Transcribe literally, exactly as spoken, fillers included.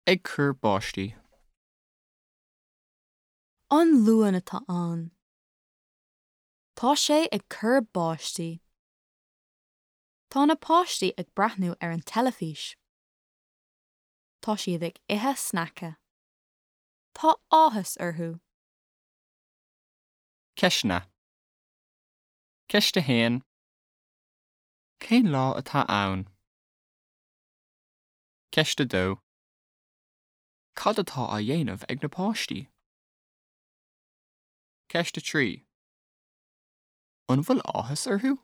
Ag cur báistí. An Luan atá ann. Tá sé ag cur báistí. Tá na páistí ag breathnú ar an teilifís. Tá siad ag ithe sneaice. Tá áthas orthu. Ceisteanna. Ceist a haon. Cén lá atá ann? Ceist a dó. Cad atá á dhéanamh ag na páistí? Ceist a trí. An bhfuil áthas orthu?